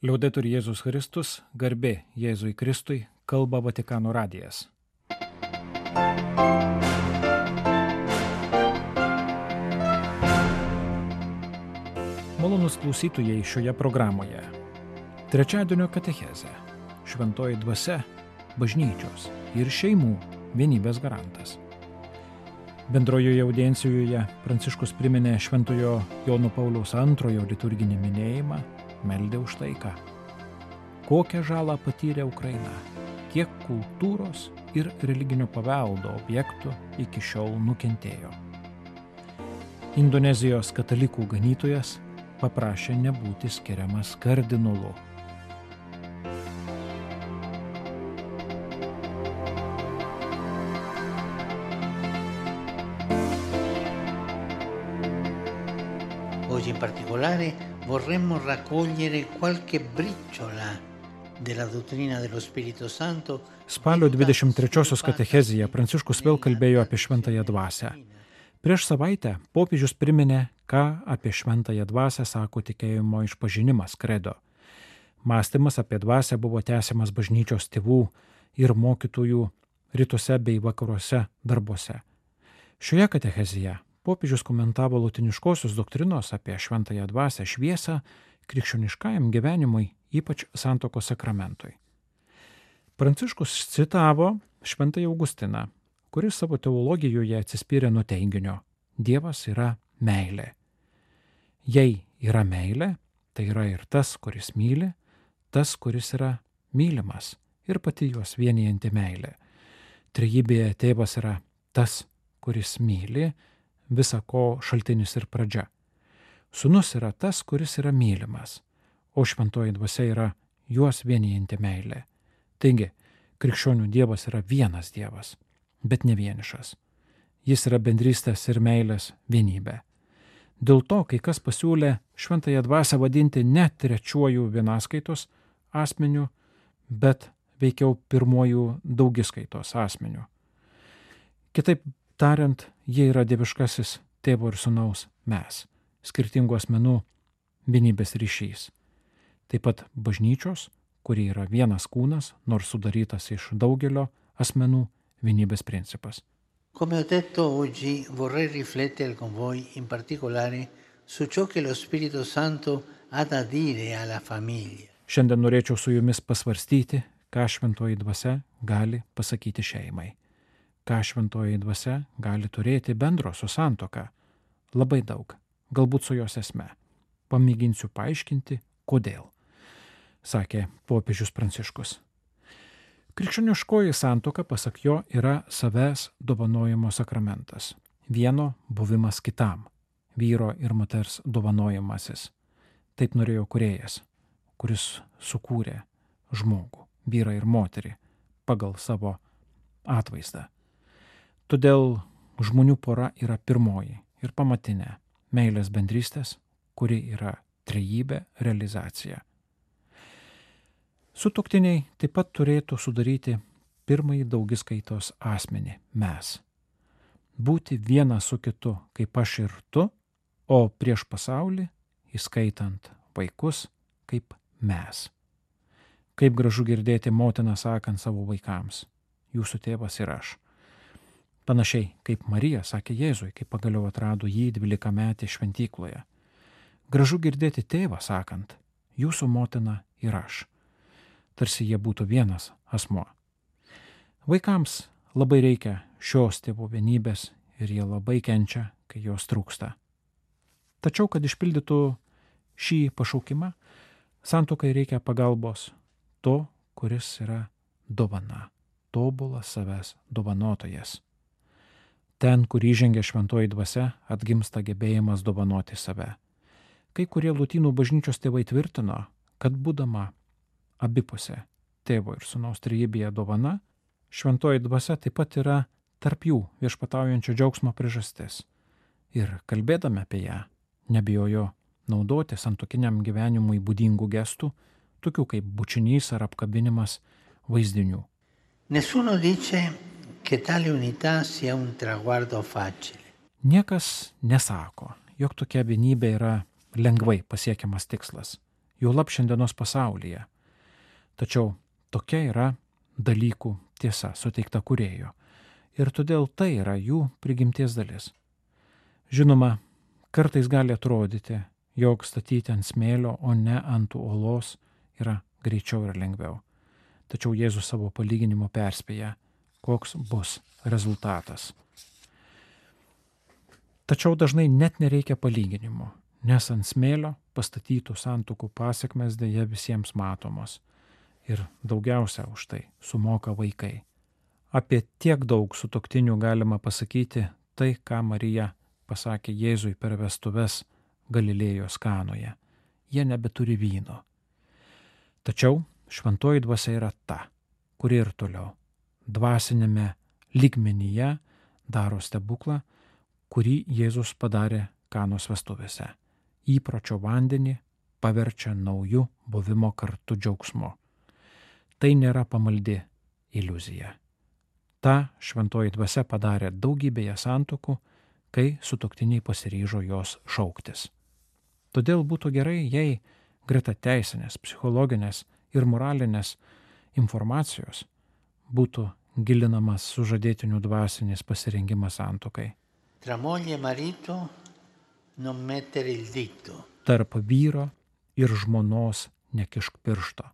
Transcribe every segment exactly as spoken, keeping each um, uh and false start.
Liaudetur Jėzus Kristus, garbė Jėzui Kristui, kalba Vatikano radijas. Malonūs klausytojai šioje programoje. Trečiadienio katechezė, šventoji dvasia, bažnyčios ir šeimų vienybės garantas. Bendrojoje audiencijoje Pranciškus priminė šventojo Jono Pauliaus antrojo liturginį minėjimą, meldė už taiką. Kokią žalą patyrė Ukraina, kiek kultūros ir religinio paveldo objektų iki šiol nukentėjo. Indonezijos katalikų ganytojas paprašė nebūti skiriamas kardinolu. Oggi in particolare vorremmo raccogliere qualche briciola della dottrina dello Spirito Santo. Spalio dvidešimt trečiosios katechezėje Pranciškus vėl kalbėjo apie šventąją dvasią. Prieš savaitę popiežius priminė, ką apie šventąją dvasią sako tikėjimo išpažinimas kredo. Mąstymas apie dvasią buvo tęsiamas bažnyčios tėvų ir mokytojų rytuose bei vakaruose darbuose. Šioje katechezėje popiežius komentavo lotiniškosios doktrinos apie šventąją dvasią šviesą krikščioniškajam gyvenimui, ypač santuokos sakramentui. Pranciškus citavo šventąjį Augustiną, kuris savo teologijoje atsispyrė nuo teiginio: Dievas yra meilė. Jei yra meilė, tai yra ir tas, kuris myli, tas, kuris yra mylimas ir pati juos vienijanti meilė. Trejybėje tėvas yra tas, kuris myli, visa ko šaltinis ir pradžia. Sūnus yra tas, kuris yra mylimas, o šventoji dvasia yra juos vienijanti meilė. Taigi, krikščionių Dievas yra vienas Dievas, bet ne vienišas. Jis yra bendrystės ir meilės vienybė. Dėl to, kai kas pasiūlė šventąją dvasią vadinti ne trečiuoju vienaskaitos asmeniu, bet veikiau pirmuoju daugiskaitos asmeniu. Kitaip tariant, jie yra dieviškasis tėvo ir sūnaus mes, skirtingų asmenų vienybės ryšys. Taip pat bažnyčios, kuri yra vienas kūnas, nors sudarytas iš daugelio asmenų, vienybės principas. Come ho detto oggi, vorrei riflettere con voi in particolare su ciò che lo Spirito Santo ha da dire alla famiglia. Šiandien norėčiau su jumis pasvarstyti, ką šventoji dvasia gali pasakyti šeimai. Ką šventoji dvasia gali turėti bendro su santuoka. Labai daug, galbūt su jos esme. Pamėginsiu paaiškinti, kodėl, sakė popiežius Pranciškus. Krikščioniškoji santuoka, pasak jo, yra savęs dovanojimo sakramentas. Vieno buvimas kitam, vyro ir moters dovanojimasis. Taip norėjo kūrėjas, kuris sukūrė žmogų, vyrą ir moterį, pagal savo atvaizdą. Todėl žmonių pora yra pirmoji ir pamatinė meilės bendrystės, kuri yra trejybė realizacija. Sutuoktiniai taip pat turėtų sudaryti pirmąjį daugiskaitos asmenį – mes. Būti vienas su kitu kaip aš ir tu, o prieš pasaulį, įskaitant vaikus, kaip mes. Kaip gražu girdėti motiną sakant savo vaikams: jūsų tėvas ir aš. Panašiai kaip Marija sakė Jėzui, kai pagaliau atrado jį dvylikametį šventykloje. Gražu girdėti tėvą sakant: jūsų motina ir aš. Tarsi jie būtų vienas asmuo. Vaikams labai reikia šios tėvų vienybės ir jie labai kenčia, kai jos trūksta. Tačiau, kad išpildytų šį pašaukimą, santuokai reikia pagalbos to, kuris yra dovana, tobulas savęs dovanotojas. Ten, kur įžengia šventoji dvasia, atgimsta gebėjimas dovanoti save. Kai kurie lotynų bažnyčios tėvai tvirtino, kad būdama abipusė tėvo ir sūnaus trejybėje dovana, šventoji dvasia taip pat yra tarp jų viešpataujančio džiaugsmo priežastis. Ir kalbėdami apie ją, nebijojo naudoti santuokiniam gyvenimui būdingų gestų, tokių kaip bučinys ar apkabinimas vaizdinių. Nessuno dice che tale unità sia un traguardo facile. Niekas nesako, jog tokia vienybė yra lengvai pasiekiamas tikslas. juolab šiandienos pasaulyje. Tačiau tokia yra dalykų tiesa suteikta Kūrėjo ir todėl tai yra jų prigimties dalis. Žinoma, kartais gali atrodyti, jog statyti ant smėlio, o ne ant uolos yra greičiau ir lengviau. Tačiau Jėzus savo palyginimu perspėja, koks bus rezultatas. Tačiau dažnai net nereikia palyginimo, nes ant smėlio pastatytų santuokų pasiekmes dėja visiems matomos. Ir daugiausia už tai sumoka vaikai. Apie tiek daug sutuoktinių galima pasakyti tai, ką Marija pasakė Jėzui per vestuves Galilėjos Kanoje. Jie nebeturi vyno. Tačiau šventoji dvasia yra ta, kuri ir toliau dvasinėme lygmenyje daro stebuklą, kurį Jėzus padarė Kanos vestuvėse. Įpročio vandenį paverčia nauju buvimo kartu džiaugsmu. Tai nėra pamaldi iliuzija. Ta šventoji dvasia padarė daugybėje santuokų, kai sutuoktiniai pasiryžo jos šauktis. Todėl būtų gerai, jei greta teisinės, psichologinės ir moralinės informacijos būtų gilinamas sužadėtinių dvasinis pasirengimas santuokai. Tra moglie e marito non mettere il dito. Tarp vyro ir žmonos nekišk piršto,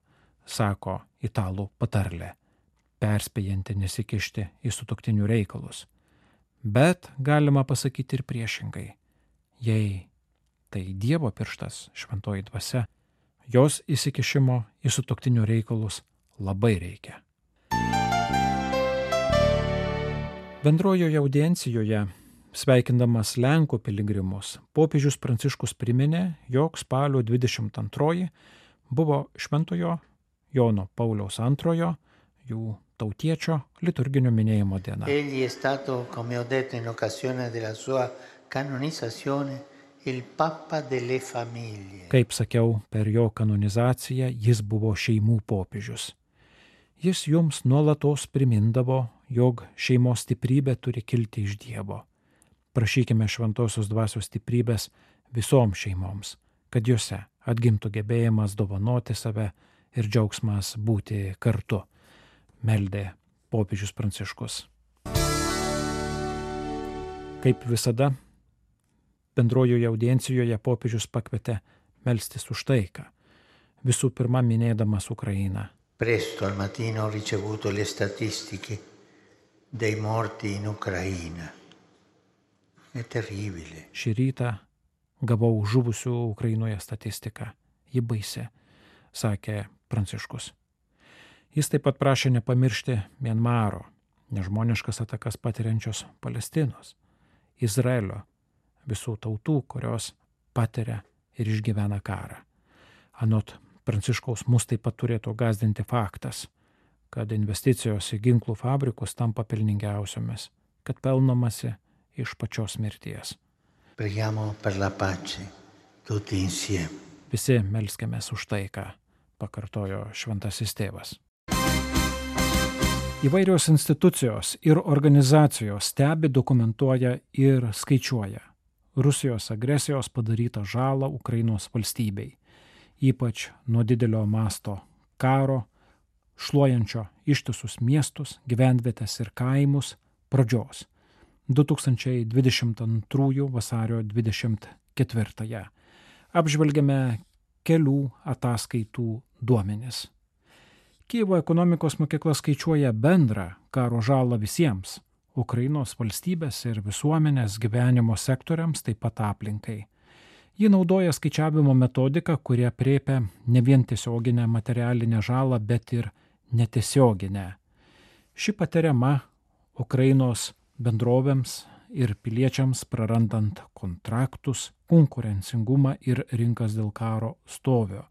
sako italų patarlė, perspėjanti nesikišti į sutuoktinių reikalus. Bet galima pasakyti ir priešingai. Jei tai Dievo pirštas, šventoji dvasia, jos įsikišimo į sutuoktinių reikalus labai reikia. Bendrojoje audiencijoje, sveikindamas Lenkų piligrimus, popiežius Pranciškus priminė, jog spalio dvidešimt antroji buvo šventojo Jono Pauliaus antrojo, jų tautiečio liturginio minėjimo diena. Egli è stato, come ho detto in occasione della sua canonizzazione, il Papa delle famiglie. Kaip sakiau, per jo kanonizaciją jis buvo šeimų popiežius. Jis jums nuolatos primindavo, jog šeimos stiprybė turi kilti iš Dievo. Prašykime šventosios dvasios stiprybės visoms šeimoms, kad jose atgimtų gebėjimas dovanoti save ir džiaugsmas būti kartu, meldė popiežius Pranciškus. Kaip visada, bendrojoje audiencijoje popiežius pakvietė melstis už taiką, visų pirma minėdamas Ukrainą. Presto al mattino ho ricevuto le statistiche dei morti in Ucraina. È terribile. Šį rytą gavau žuvusių Ukrainoje statistiką. Ji baisi, sakė Pranciškus. Jis taip pat prašė nepamiršti Mianmaro, nežmoniškas atakas patiriančios Palestinos, Izraelio, visų tautų, kurios patiria ir išgyvena karą. Anot Pranciškaus mus taip pat turėtų gąsdinti faktas, kad investicijos į ginklų fabrikus tampa pelningiausiomis, kad pelnomasi iš pačios mirties. Preghiamo per la pace, tutti insieme. Visi melskimės už taiką, pakartojo šventasis tėvas. Įvairios institucijos ir organizacijos stebi, dokumentuoja ir skaičiuoja Rusijos agresijos padarytą žalą Ukrainos valstybei, ypač nuo didelio masto karo, šluojančio ištisus miestus, gyvenvietes ir kaimus pradžios du tūkstančiai dvidešimt antrųjų vasario dvidešimt ketvirtąją. Apžvelgiame kelių ataskaitų duomenis. Kijevo ekonomikos mokykla skaičiuoja bendrą karo žalą visiems Ukrainos valstybės ir visuomenės gyvenimo sektoriams, taip pat aplinkai. Ji naudoja skaičiavimo metodiką, kuri aprėpia ne vien tiesioginę materialinę žalą, bet ir netiesioginę. Ši patiriama Ukrainos bendrovėms ir piliečiams prarandant kontraktus, konkurencingumą ir rinkas dėl karo stovio,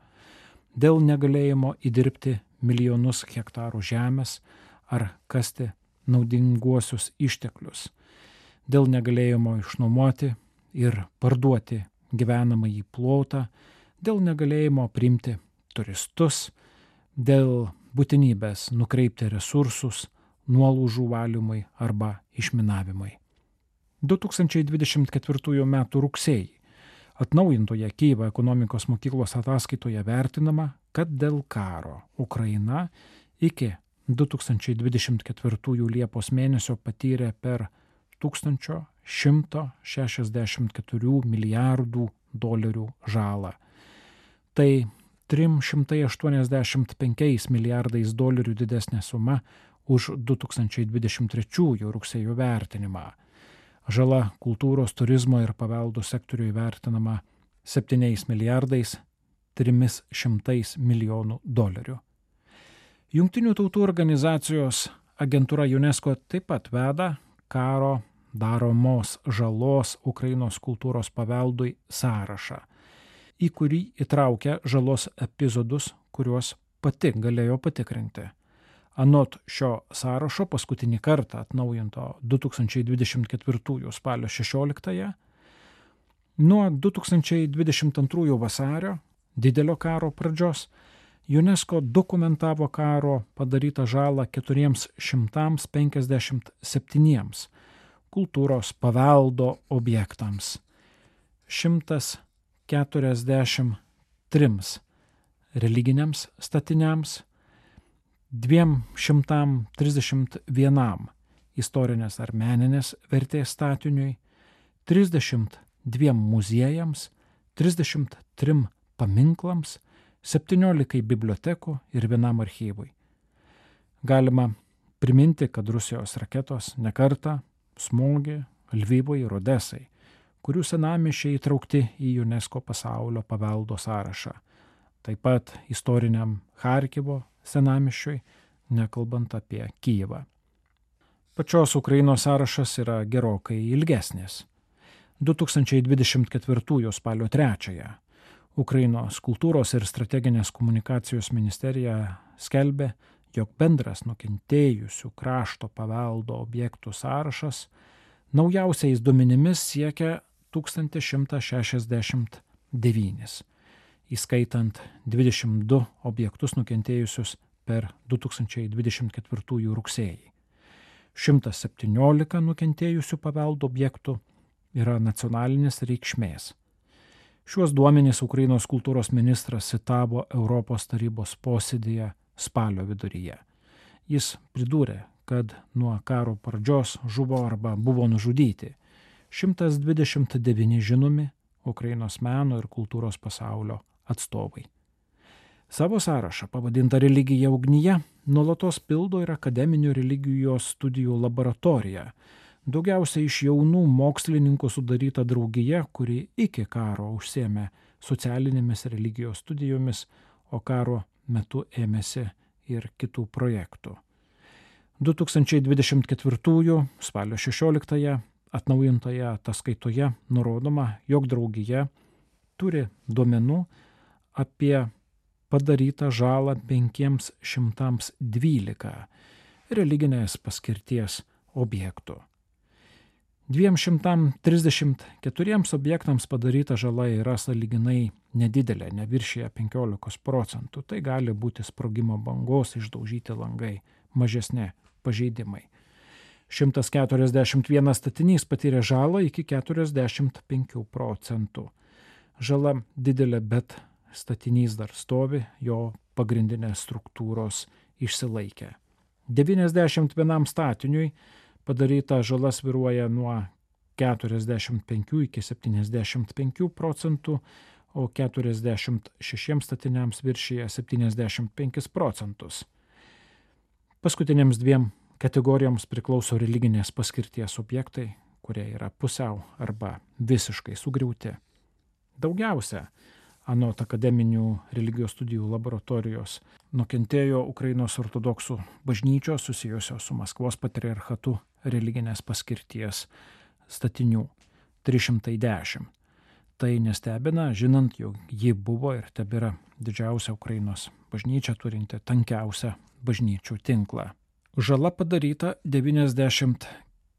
dėl negalėjimo įdirbti milijonus hektarų žemės ar kasti naudinguosius išteklius, dėl negalėjimo išnuomoti ir parduoti gyvenamąjį plotą, dėl negalėjimo priimti turistus, dėl būtinybės nukreipti resursus nuolaužų valymui arba išminavimui. du tūkstančiai dvidešimt ketvirtųjų metų rugsėjį Atnaujintoje Kijevo ekonomikos mokyklos ataskaitoje vertinama, kad dėl karo Ukraina iki du tūkstančiai dvidešimt ketvirtųjų Liepos mėnesio patyrė per šimtą šešiasdešimt keturių milijardų dolerių žalą. Tai trimis šimtais aštuoniasdešimt penkiais milijardais dolerių didesnė suma už du tūkstančiai dvidešimt trečiųjų rugsėjo vertinimą. Žala kultūros, turizmo ir paveldo sektoriui vertinama septyniais milijardais trimis šimtais milijonų dolerių. Jungtinių tautų organizacijos agentūra UNESCO taip pat veda karo daromos žalos Ukrainos kultūros paveldui sąrašą, į kurį įtraukia žalos epizodus, kuriuos pati galėjo patikrinti. Anot šio sąrašo paskutinį kartą atnaujinto du tūkstančiai dvidešimt ketvirtųjų spalio šešioliktąją, nuo du tūkstančiai dvidešimt antrųjų vasario, didelio karo pradžios, UNESCO dokumentavo karo padarytą žalą keturiems šimtams penkiasdešimt septyniems kultūros paveldo objektams, šimtas keturiasdešimt trims religiniams statiniams, dviem šimtam trisdešimt vienam istorinės ar meninės vertės statiniui, trisdešimt dviem muziejams, trisdešimt trim paminklams, septyniolikai bibliotekų ir vienam archyvui. Galima priminti, kad Rusijos raketos nekartą smogė Lvivui ir Odesai, kurių senamiesčiai įtraukti į UNESCO pasaulio paveldo sąrašą. Taip pat istoriniam Charkivo senamiesčiui, nekalbant apie Kijevą. Pačios Ukrainos sąrašas yra gerokai ilgesnis. du tūkstančiai dvidešimt ketvirtųjų spalio trečiąją Ukrainos kultūros ir strateginės komunikacijos ministerija skelbė, jog bendras nukentėjusių krašto paveldo objektų sąrašas naujausiais duomenimis siekia tūkstantį šimtą šešiasdešimt devynis, įskaitant dvidešimt du objektus nukentėjusius per du tūkstančiai dvidešimt ketvirtųjų rugsėjį. šimtas septyniolika nukentėjusių paveldo objektų yra nacionalinės reikšmės. Šiuos duomenys Ukrainos kultūros ministras citavo Europos tarybos posėdyje spalio viduryje. Jis pridūrė, kad nuo karo pradžios žuvo arba buvo nužudyti šimtas dvidešimt devyni žinomi Ukrainos meno ir kultūros pasaulio atstovai. Savo sąrašą, pavadintą Religija ugnyje, nuolatos pildo ir akademinių religijos studijų laboratorija, daugiausiai iš jaunų mokslininkų sudaryta draugija, kuri iki karo užsiėmė socialinėmis religijos studijomis, o karo metu ėmėsi ir kitų projektų. du tūkstančiai dvidešimt ketvirtųjų spalio šešioliktąją atnaujintoje ataskaitoje nurodoma, jog draugija turi duomenų apie padarytą žalą penkiems šimtams dvylika religinės paskirties objektų. dviem šimtam trisdešimt keturiems objektams padaryta žala yra sąlyginai nedidelė, neviršija penkiolikos procentų. Tai gali būti sprogimo bangos, išdaužyti langai, mažesni pažeidimai. šimtas keturiasdešimt vienas statinys patyrė žalą iki keturiasdešimt penkių procentų. Žala didelė, bet statinys dar stovi, jo pagrindinės struktūros išsilaikė. devyniasdešimt vienam statiniui padaryta žala svyruoja nuo keturiasdešimt penkių iki septyniasdešimt penkių procentų, o keturiasdešimt šešiems statiniams viršyje septyniasdešimt penkis procentus. Paskutinėms dviem kategorijoms priklauso religinės paskirties objektai, kurie yra pusiau arba visiškai sugriauti. Daugiausia, anot akademinių religijos studijų laboratorijos, nukentėjo Ukrainos ortodoksų bažnyčios susijusios su Maskvos patriarchatu religinės paskirties statinių trys šimtai dešimt. Tai nestebina, žinant, jog ji buvo ir tebėra didžiausia Ukrainos bažnyčia turinti tankiausią bažnyčių tinklą. Žala padaryta devyniasdešimt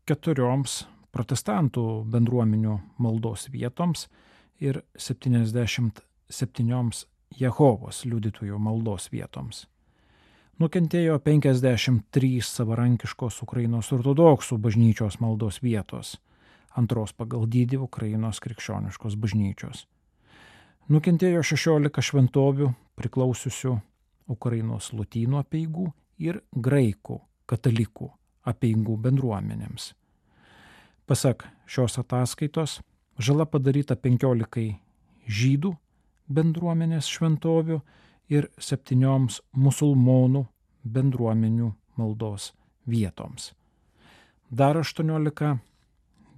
keturioms protestantų bendruomenių maldos vietoms ir septyniasdešimt septynioms Jehovos liudytojų maldos vietoms. Nukentėjo penkiasdešimt trys savarankiškos Ukrainos ortodoksų bažnyčios maldos vietos. antros pagal dydį Ukrainos krikščioniškos bažnyčios. Nukentėjo šešiolika šventovių priklausiusių Ukrainos lotynų apeigų ir graikų katalikų apeigų bendruomenėms. Pasak šios ataskaitos, žala padaryta penkiolikai žydų bendruomenės šventovių ir septynioms musulmonų bendruomenių maldos vietoms. Dar aštuoniolika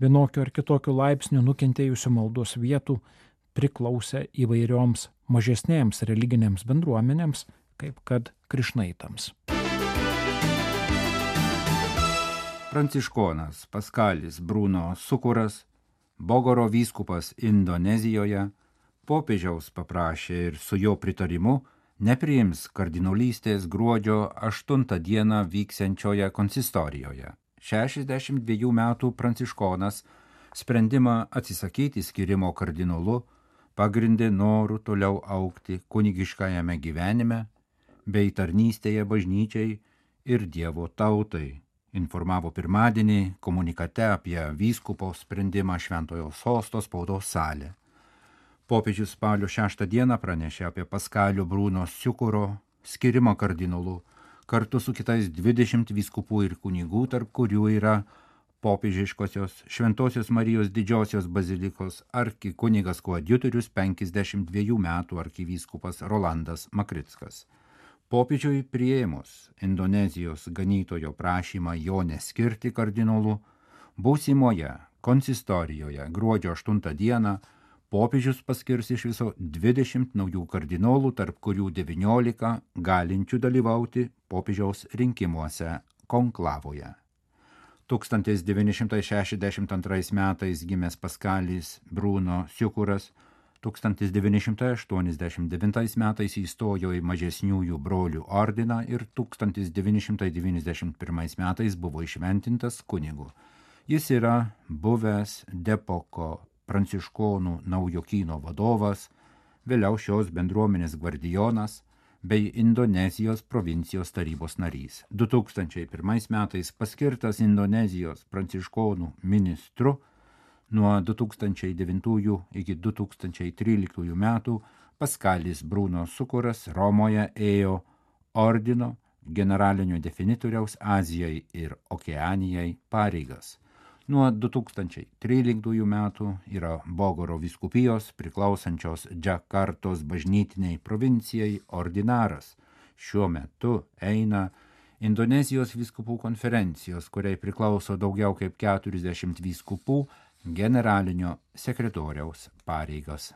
vienokio ar kitokio laipsnio nukentėjusių maldos vietų priklausė įvairioms mažesnėms religinėms bendruomenėms, kaip kad krišnaitams. Pranciškonas Paskalis Bruno Sukuras, Bogoro vyskupas Indonezijoje, popiežiaus paprašė ir su jo pritarimu nepriims kardinolystės gruodžio aštuntą dieną vyksiančioje konsistorijoje. šešiasdešimt dviejų metų pranciškonas sprendimą atsisakyti skirimo kardinolu pagrindė noru toliau augti kunigiškajame gyvenime bei tarnystėje bažnyčiai ir Dievo tautai, informavo pirmadienį komunikate apie vyskupo sprendimą Šventojo Sosto spaudos salę. Popiežius spalio šeštą dieną pranešė apie Paskalio Bruno Sukuro skirimą kardinolu kartu su kitais dvidešimt vyskupų ir kunigų, tarp kurių yra popiežiškosios Šventosios Marijos didžiosios bazilikos arkikunigas koadjutorius penkiasdešimt dviejų metų arkivyskupas Rolandas Makrickas. Popiežiui priėmus Indonezijos ganytojo prašymą jo neskirti kardinolu, būsimoje konsistorijoje gruodžio aštuntą dieną popiežius paskirs iš viso dvidešimt naujų kardinolų, tarp kurių devyniolika galinčių dalyvauti popiežiaus rinkimuose konklavoje. tūkstantis devyni šimtai šešiasdešimt antrais metais gimęs Paskalis Bruno Sukuras, tūkstantis devyni šimtai aštuoniasdešimt devintais metais įstojo į mažesniųjų brolių ordiną ir tūkstantis devyni šimtai devyniasdešimt pirmais metais buvo įšventintas kunigu. Jis yra buvęs Depoko pranciškonų naujokyno vadovas, vėliau šios bendruomenės gvardijonas bei Indonezijos provincijos tarybos narys. du tūkstančiai pirmais metais paskirtas Indonezijos pranciškonų ministru, nuo du tūkstančiai devintųjų iki du tūkstančiai tryliktųjų metų Paskalis Bruno Sukuras Romoje ėjo ordino generalinio definitoriaus Azijai ir Okeanijai pareigas. Nuo du tūkstančiai tryliktųjų metų yra Bogoro vyskupijos priklausančios Džakartos bažnytiniai provincijai ordinaras. Šiuo metu eina Indonezijos vyskupų konferencijos, kuriai priklauso daugiau kaip keturiasdešimt vyskupų, generalinio sekretoriaus pareigas.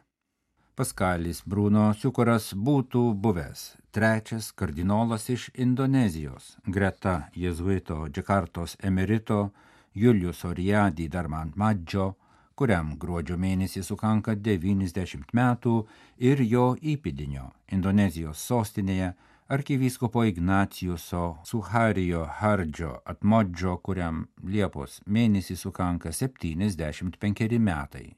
Paskalis Bruno Sukuras būtų buvęs trečias kardinolas iš Indonezijos, greta jėzuito Džakartos emerito Julius Oriadi Darmantmadžo, kuriam gruodžio mėnesį sukanka devyniasdešimt metų, ir jo įpėdinio Indonezijos sostinėje arkivyskupo Ignaciuso Suharijo Hardžo Atmodžo, kuriam Liepos mėnesį sukanka septyniasdešimt penkeri metai.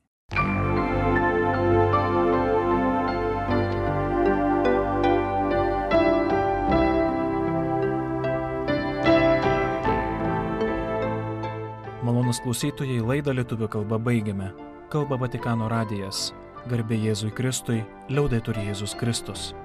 Malonūs klausytojai, laidą lietuvių kalba baigiame. Kalba Vatikano radijas. Garbė Jėzui Kristui, liaudetur Jėzus Kristus.